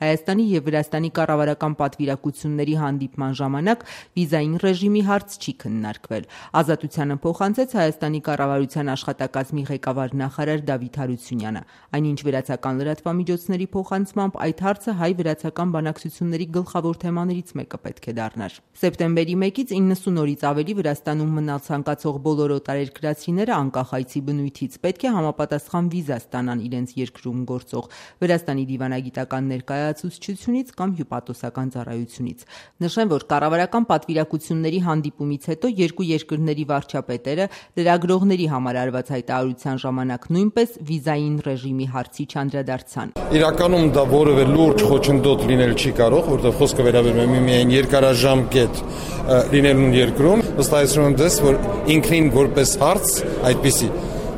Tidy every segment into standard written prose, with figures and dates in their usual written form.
Հայաստանի և Վրաստանի կառավարական պատվիրակությունների հանդիպման ժամանակ վիզային ռեժիմի հարց չի քննարկվել։ Ազատությանը փոխանցեց Հայաստանի կառավարության աշխատակազմի ղեկավար նախարար Դավիթ Հարությունյանը։ Այնինչ վրացական լրատվամիջոցների փոխանցմամբ այդ հարցը հայ-վրացական բանակցությունների գլխավոր թեմաներից մեկը պետք է դառնար։ Սեպտեմբերի 1-ից 90 օրից ավելի Վրաստանում մնալ ցանկացող բոլոր օտարերկրացիները անկախ այցի բնույթից պետք է համապատասխան վիզա ստանան իրենց երկրում գործող Վրաստանի դիվանագիտական ներկայացուցչությունից կամ հյուպատոսական ծառայությունից։ Նշեմ, որ կառավարական պատվիրակությունների հանդիպումից հետո երկու երկրների վարչապետերը լրագրողների համար արված հայտարարության ժամանակ նույնպես վիզային ռեժիմի հարցի չանդրադարձան։ Իրականում դա որևէ լուրջ խոչընդոտ լինել չի կարող, որովհետև խոսքը վերաբերում է միայն երկարաժամկետ լինելուն երկրում, վստահեցնում եմ ձեզ, որ ինքնին որպես հարց այդպիսի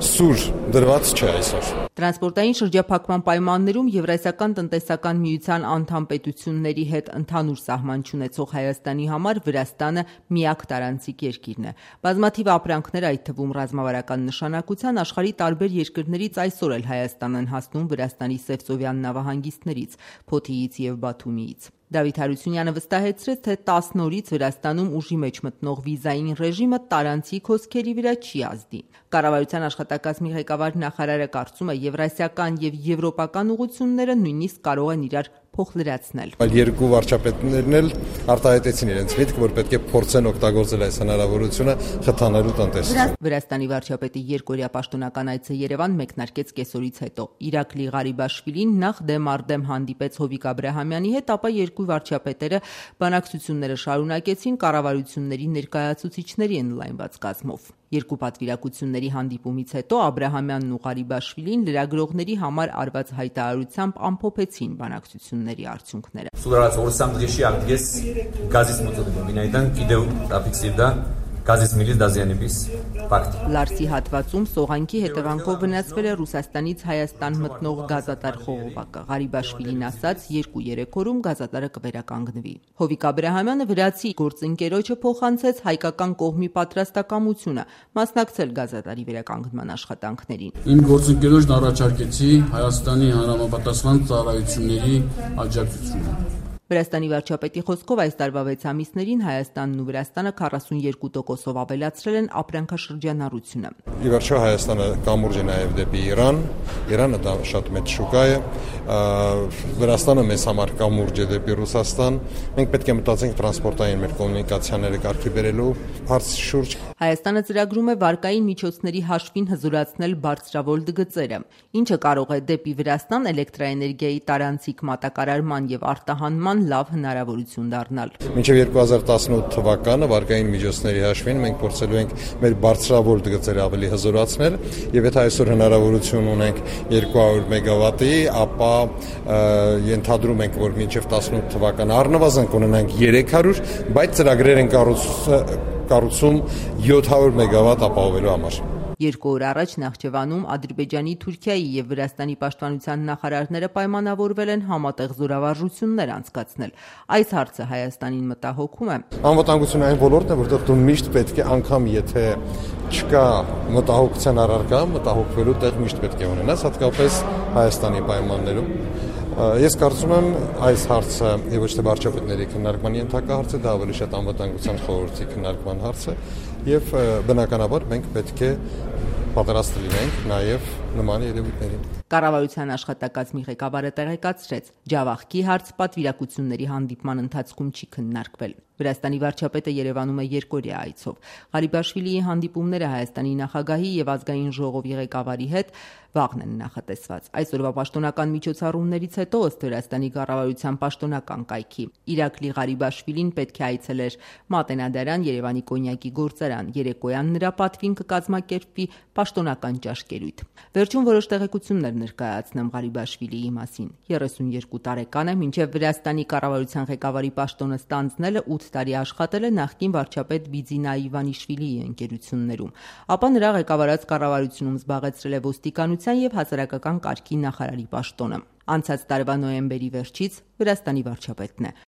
սուր դրված չէ այսօր։ Տրանսպորտային շրջափակման պայմաններում Եվրասիական տնտեսական միության անդամ պետությունների հետ ընդհանուր սահման չունեցող Հայաստանի համար Վրաստանը միակ տարանցիկ երկիրն է։ Բազմաթիվ ապրանքներ, այդ թվում ռազմավարական նշանակության, աշխարհի տարբեր երկրներից այսօր էլ Հայաստան են հասնում Վրաստանի Սևծովյան նավահանգիստներից, Փոթիից և Բաթումիից։ Դավիթ Հարությունյանը վստահեցրեց, թե 10 օրից Վրաստանում ուժի մեջ մտնող վիզային ռեժիմը տարանցիկ հոսքերի վրա չի ազդի։ Կառավարության աշխատակազմի ղեկավար նախարարը կարծում է, եվրասիական և եվրոպական ուղղությունները նույնիսկ կարող են իրար փոխլրացնել։ Այլ երկու վարչապետներն էլ արտահայտեցին իրենց միտքը, որ պետք է փորձեն օգտագործել այս հնարավորությունը խթանելու տնտեսությունը։ Վրաստանի վարչապետի երկօրյա պաշտոնական այցը Երևան մեկնարկեց կեսօրից հետո։ Իրակլի Ղարիբաշվիլին նախ դեմ առ դեմ հանդիպեց Հովիկ Աբրահամյանի հետ, ապա երկու վարչապետերը բանակցությունները շարունակեցին կառավարությունների ներկայացուցիչների ընդլայնված կազմով։ Երկու պատվիրակությունների հանդիպումից հետո Աբրահամյանն ու Ղարիբաշվիլին լրագրողների համար արված հայտարարությամբ ամփոփեցին բանակցությունների արդյունքները։ Судорожно Орсам Дрещиак газис մոծոդում վինայդան կիդեու տապիքսիվդա газис միլիս դազյանիբիս ֆակտ Լարսի հատվածում սողանքի հետևանքով վնասվել է Ռուսաստանից Հայաստան մտնող գազատար խողովակը։ Ղարիբաշվիլին ասաց, 2-3 օրում գազատարը կվերականգնվի։ Հովիկ Աբրահամյանը վրացի գործընկերոջը փոխանցեց հայկական կողմի պատրաստակամությունը մասնակցել գազատարի վերականգնման աշխատանքներին։ Իմ գործընկերոջն առաջարկեցի Հայաստանի հանրապետության ծառայությունների աջակցությունը։ Վրաստանի վարչապետի խոսքով այս տարվա 6 ամիսներին Հայաստանն ու Վրաստանը 42%-ով ավելացրել են ապրանքաշրջանառությունը։ Ի վերջո Հայաստանը կամուրջ է նաև դեպի Իրան, Իրանը դա շատ մեծ շուկա է, Վրաստանը մեզ համար կամուրջ է դեպի Ռուսաստան։ Մենք պետք է մտածենք տրանսպորտային մեր կոմունիկացիաները կարգի բերելու հարցի շուրջ։ Հայաստանը ծրագրում է վարկային միջոցների հաշվին հզորացնել բարձրավոլտ գծերը, ինչը կարող է դեպի Վրաստան էլեկտրաէներգիայի տարանցիկ մատակարարման եւ արտահանման լավ հնարավորություն դառնալ։ Մինչև 2018 թվականը վարկային միջոցների հաշվին մենք փորձելու ենք մեր բարձրավոլտ գծերը ավելի հզորացնել, եւ եթե այսօր հնարավորություն ունենք 200 մեգավատի, ապա ենթադրում ենք, որ մինչև 18 թվականը առնվազն կունենանք 300, բայց ծրագրեր են կառուցում 700 մեգավատ ապահովելու համար։ 2 օր առաջ Նախճեվանում Ադրբեջանի, Թուրքիայի եւ Վրաստանի պաշտպանության նախարարները պայմանավորվել են համատեղ զորավարժություններ անցկացնել։ Այս հարցը Հայաստանին մտահոգում է։ Անվտանգությունը այն ոլորտն է, որտեղ դու միշտ պետք է, անգամ եթե չկա մտահոգության առարկա, մտահոգվելու տեղ միշտ պետք է ունենաս, հատկապես Հայաստանի պայմաններում։ Ես կարծում եմ այս հարցը ոչ թե վարչապետների քննարկման ենթակա հարց է, դա ավելի շատ անվտանգության խորհրդի քննարկման հարց է, եւ բնականաբար մենք պետք է պատրաստ լինենք նաեւ նման երևույթներին։ Կառավարության աշխատակազմի ղեկավարը տեղեկացրեց, Ջավախքի հարց պատվիրակությունների հանդիպման ընթացքում չի քննարկվել։ Վրաստանի վարչապետը Երևանում է երկօրյա այցով։ Ղարիբաշվիլիի հանդիպումները Հայաստանի նախագահի եւ ազգային ժողովի ղեկավարի հետ վաղն են նախատեսված։ Այսօրվա պաշտոնական միջոցառումներից հետո ըստ Վրաստանի կառավարության պաշտոնական կայքի Իրակլի Ղարիբաշվիլին պետք է այցելեր Մատենադարան, Երևանի կոնյակի գործարան, երեկոյան նրա պատվին կկազմակերպվի պաշտոնական ճաշկերույթ։ Վերջում որոշ տեղեկություններ ներկայացնեմ Ղարիբաշվիլիի մասին։ 32 տարեկան է, մինչև Վրաստանի կառավարության ղեկավարի պաշտոնը ստանձնելը 8 տարի աշխատել է նախկին վարչապետ Բիձինա Իվանիշվիլիի ընկերություններում, ապա նրա ղեկավարած կառավարությունում զբաղեցրել է ոստիկանության եւ հասարակական կարգի նախարարի պաշտոնը։ Անցած տարվա նոյեմբերի վերջից Վրաստանի վարչապետն է։